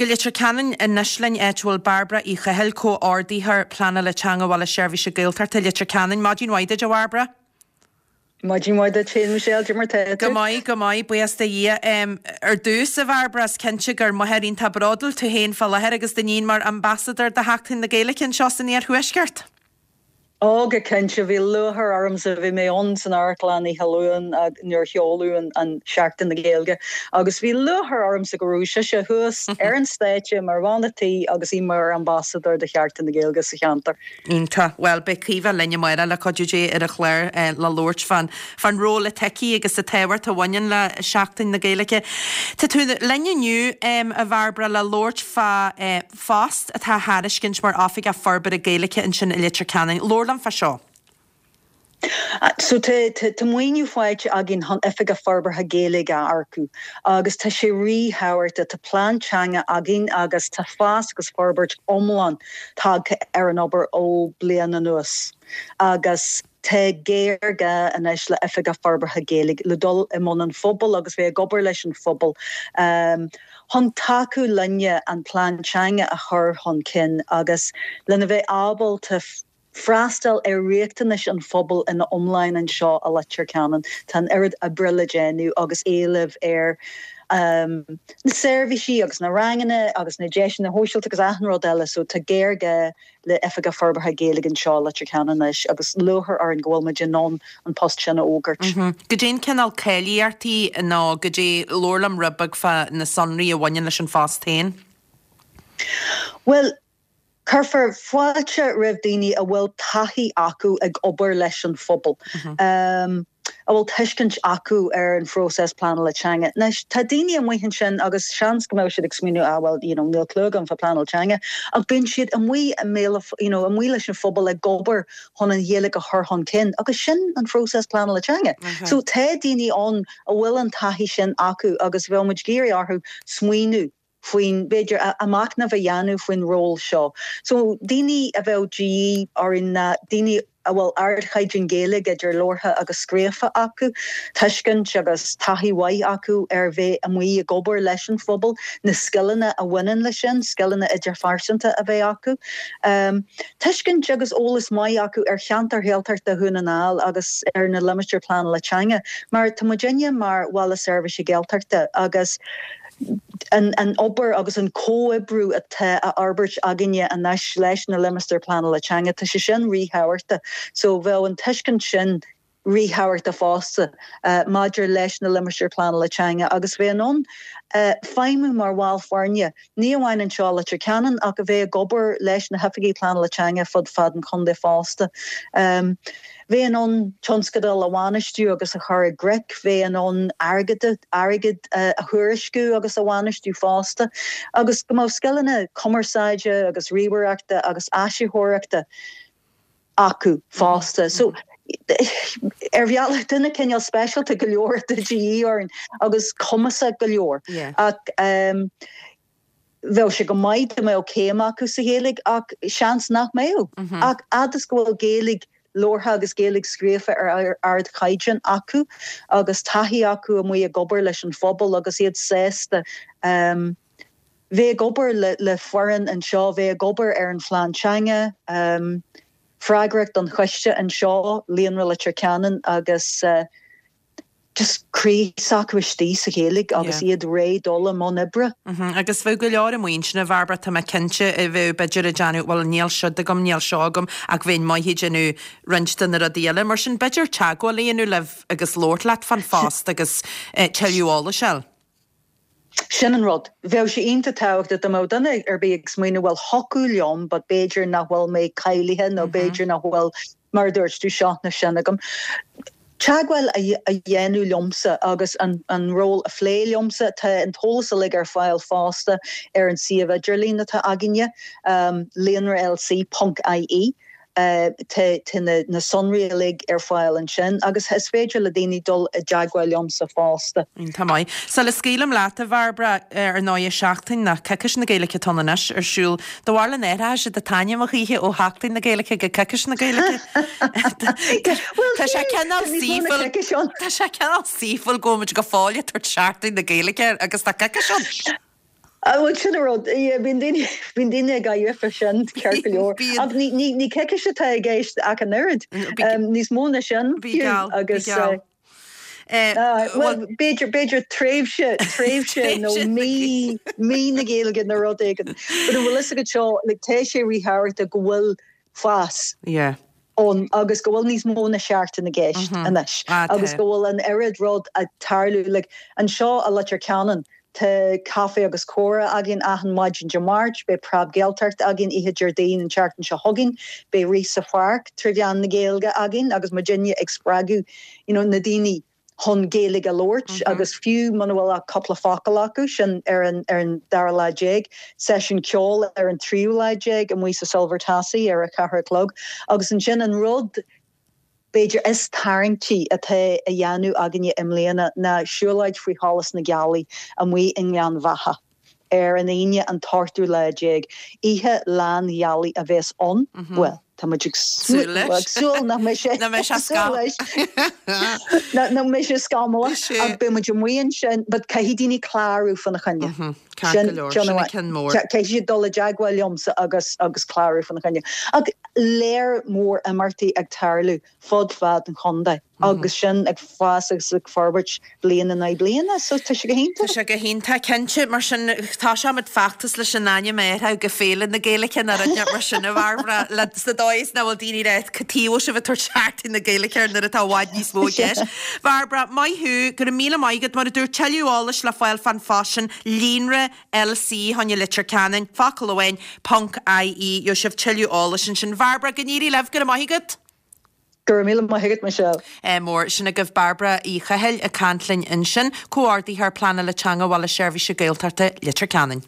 go Leitir Ceanainn anois linn, áit a bhfuil Bairbre Uí Chathail, Comhordaitheoir Pleanála Teanga Bhaile Seirbhíse Gaeltachta Leitir Ceanainn. Maidin mhaith duit, a Bhairbre. Maidin mhaith duit féin, Michelle, cad é mar tá tú? Go maith, go maith, buíochas do Dhia. Ar dtús, a Bhairbre, is cinnte gur máthair iontach bródúil tú féin fá láthair agus d'iníon mar ambasadóir do Sheachtain na Gaeilge anseo san Iarthuaisceart. Ó, go cinnte, bhí lúcháir ormsa, bhí mé ann san amharclann oíche Luain nuair a sheoladh an Seachtain na Gaeilge agus bhí lúcháir ormsa go raibh sise thuas ar an stáitse mar bhean a' tí agus í mar ambasadóir do Sheachtain na Gaeilge sa cheantar. Iontach. Bhuel, beidh Caoimhe linn amárach le cuidiú Dé ar an chlár le labhairt fán fán ról atá aici agus an tábhacht a bhaineann le Seachtain na Gaeilge. Tá tú linn inniu, a Bhairbre, le labhairt fá phost atá á thairiscint mar Oifigeach Forbartha Gaeilge ansin i Leitir Ceanainn. Labhair liom fá seo. So tá tá maoiniú faighte againn chun Oifigeach Forbartha Gaeilge a earcú agus tá sé ríthábhachtach. Tá plean teanga againn agus tá fás agus forbairt iomlán tagtha ar an obair ó bliain anuas agus tá géarghá anois le Oifigeach Forbartha Gaeilge le dul i mbun an phobail agus bheith ag obair leis an phobal chun tacú linne an plean teanga a chur chun cinn agus lena bheith ábalta freastal ar riachtanais an phobail ina iomláin anseo i Leitir Ceanainn. Tá an oiread oibre le déanamh agus éileamh ar na seirbhísí agus na ranganna agus na deiseanna shóisialta agus achan rud eile so tá géarghá le Oifigeach Forbartha Gaeilge anseo i Leitir Ceanainn anois agus lúcháir orainn go bhfuil muid in ann an post sin a fhógairt. Goidé an cineál cáilíochtaí nó goidé, labhair liom rud beag fá na sonraí a bhaineann leis an phost féin. Bhuel, cuirfear fáilte roimh daoine a bhfuil taithí acu ag obair leis an phobal, a bhfuil tuiscint acu ar an phróiseas pleanála teanga. Anois, tá daoine amuigh ansin agus seans go mbeadh siad ag smaoineamh, ah well, you know, níl clue agam fá pleanáil teanga, ach bíonn siad amuigh i mbéal, you know, amuigh leis an phobal ag obair chun an Ghaeilge a chur chun cinn agus sin an phróiseas pleanála teanga. So tá daoine ann a bhfuil an taithí sin acu agus bheadh muid ag iarraidh orthu smaoineamh faoin, b'fhéidir, a machnamh a dhéanamh faoin ról seo. So, daoine a bheadh de dhíth orainn ná daoine a bhfuil ardchaighdeán Gaeilge idir labhartha agus scríofa acu, tuiscint agus taithí mhaith acu ar bheith amuigh ag obair leis an phobal, na scileanna a bhaineann leis sin, scileanna idirphearsanta a bheith acu, tuiscint agus eolas maith acu ar cheantar Ghaeltachta Dhún na nGall agus ar na Limistéir Pleanála Teanga, mar tá muidinne mar Bhaile Seirbhíse Gaeltachta agus. an obair agus an comhoibriú atá á fhorbairt againne anois leis na Limistéir Pleanála Teanga, tá sé sin ríthábhachtach. So bheadh an tuiscint sin ríthábhachtach fosta maidir leis na Limistéir Pleanála Teanga agus bheith in ann feidhmiú mar bhall foirne, ní amháin anseo i Leitir Ceanainn ach a bheith ag obair leis na hOifigigh Pleanála Teanga fud fad an chontae fosta. Bheith in ann tionscadail a bhainistiú agus a chur i gcrích, bheith in ann airgead airgead a thuairisciú agus a bhainistiú fosta, agus go mbeadh scileanna cumarsáide agus ríomhaireachta agus áisitheoireachta acu fosta. So, ar bhealach, duine cineál speisialta go leor atá de dhíth orainn agus cumasach go leor. Ach Bheadh sé go maith dá mbeadh céim acu sa Ghaeilge ach seans nach mbeadh. Ach fhad is go bhfuil Gaeilge labhartha agus Gaeilge scríofa ar ardchaighdeán acu agus taithí acu amuigh ag obair leis an phobal agus iad sásta bheith ag obair le foireann anseo, bheith ag obair ar an phlean teanga, freagrach don choiste anseo, Líonra Leitir Ceanainn agus. just croí s'acu istigh sa Ghaeilge agus iad réidh dul i mbun oibre. Agus bheadh go leor amuigh ansin, a Bhairbre, tá mé cinnte, a bheadh b'fhéidir ag déanamh, bhuel níl siúd agam, níl seo agam, ach bheinn maith ag déanamh roinnt de na rudaí eile. Mar sin, b'fhéidir teagmháil a dhéanamh libh agus labhairt leat fán phost agus tuilleadh eolais a fháil. Sin an rud. Bheadh sé iontach tábhachtach dá mbeadh duine ar bith ag smaoineamh bhuel thiocfadh liom but b'fhéidir nach bhfuil mé cáilithe nó b'fhéidir nach bhfuil, mar a dúirt tú, seo nó sin agam. Teagmháil a dhéanamh liomsa agus an ról a phlé liomsa. Tá an t-eolas uilig ar fáil fosta ar an suíomh idirlín atá againne, líonralc ponc ie. Tá na sonraí uilig ar fáil ansin agus is féidir le daoine dul i dteagmháil liomsa fosta. Iontach maith. Sula scaoilim leat, a Bhairbre, ar ndóigh, Seachtain nó Coicís na Gaeilge atá ann anois ar siúl. Do bharúil an athróidh siad an t-ainm a choíche ó Sheachtain na Gaeilge go Coicís na Gaeilge? Tá sé cineál saoithiúil, tá sé cineál saoithiúil go bhfuil muid go fóill ag tabhairt Seachtain na Gaeilge air agus tá coicís ann. Bhuel sin an rud, bíonn daoine, bíonn daoine ag gáire fá sin, ceart go leor. Ach ní, ní, ní coicís atá i gceist ach an oiread. Níos mó ná sin fiú agus. Bhuel, b'fhéidir, b'fhéidir tréimhse, tréimhse nó mí, mí na Gaeilge nó rud éigin. But an bhfuil fhios agat seo, like, tá sé ríthábhachtach go bhfuil fás ann agus go bhfuil níos mó ná seachtain i gceist anois agus go bhfuil an oiread rud ag tarlú. Like, anseo i Leitir Ceanainn, tá caife agus comhrá againn achan maidin Dé Máirt, beidh Preab Gaeltacht againn oíche Déardaoin an tseachtain seo chugainn, beidh Rith sa Pháirc trí mheán na Gaeilge againn agus muidinne ag spreagadh you know na daoine chun Gaeilge a labhairt agus fiú muna bhfuil ach cúpla focal acu, sin ar an ar an dara lá déag, seisiún ceoil ar an tríú lá déag amuigh sa Silver Tassie ar a ceathair a chlog agus ansin an rud b'fhéidir is tarraingtí atá á dhéanamh againne i mbliana ná siúlóid faoi sholas na gealaí amuigh i nGleann Bheatha ar an Aoine an t-ochtú lá déag. Oíche lán ghealaí a bheas ann, bhuel, tá muid ag súil leis. súil nach mbeidh sé Nach mbeidh sé súil leis. Nach mbeidh sé scamallach ach beidh muid amuigh ansin but caithfidh daoine clárú fána choinne. Ceart go leor, sin an ceann mór. Caithfidh siad dul i dteagmháil liomsa agus agus clárú fána choinne. Ach léar mór imeachtaí ag tarlú fud fad an chontae agus sin ag fás agus ag forbairt bliain in aghaidh bliana so tá sé go hiontach. Tá sé go hiontach, cinnte. Mar sin, tosóimid feachtas leis an ainm a athrú go Féile na Gaeilge nó rud inteacht mar sin, a Bhairbre, le sa dóigh is nach bhfuil daoine ag rá cad chuige a bhfuil sibh ag tabhairt Seachtain na Gaeilge air nuair atá i bhfad níos mó i gceist. Bhairbre, maith thú, go raibh míle maith agat. Mar a dúirt, tuilleadh eolais le fáil fán phost sin, Líonra LC fá choinne Leitir Ceanainn, focal amháin, ponc IE, gheobhaidh sibh tuilleadh eolais ansin. Bhairbre, go n-éirí libh, go raibh maith agat! Go raibh míle maith agat, Michelle. Mór. Sin agaibh Bairbre Uí Chathail ag caint linn ansin, Comhordaitheoir Pleanála Teanga Bhaile Seirbhíse Gaeltachta Leitir Ceanainn.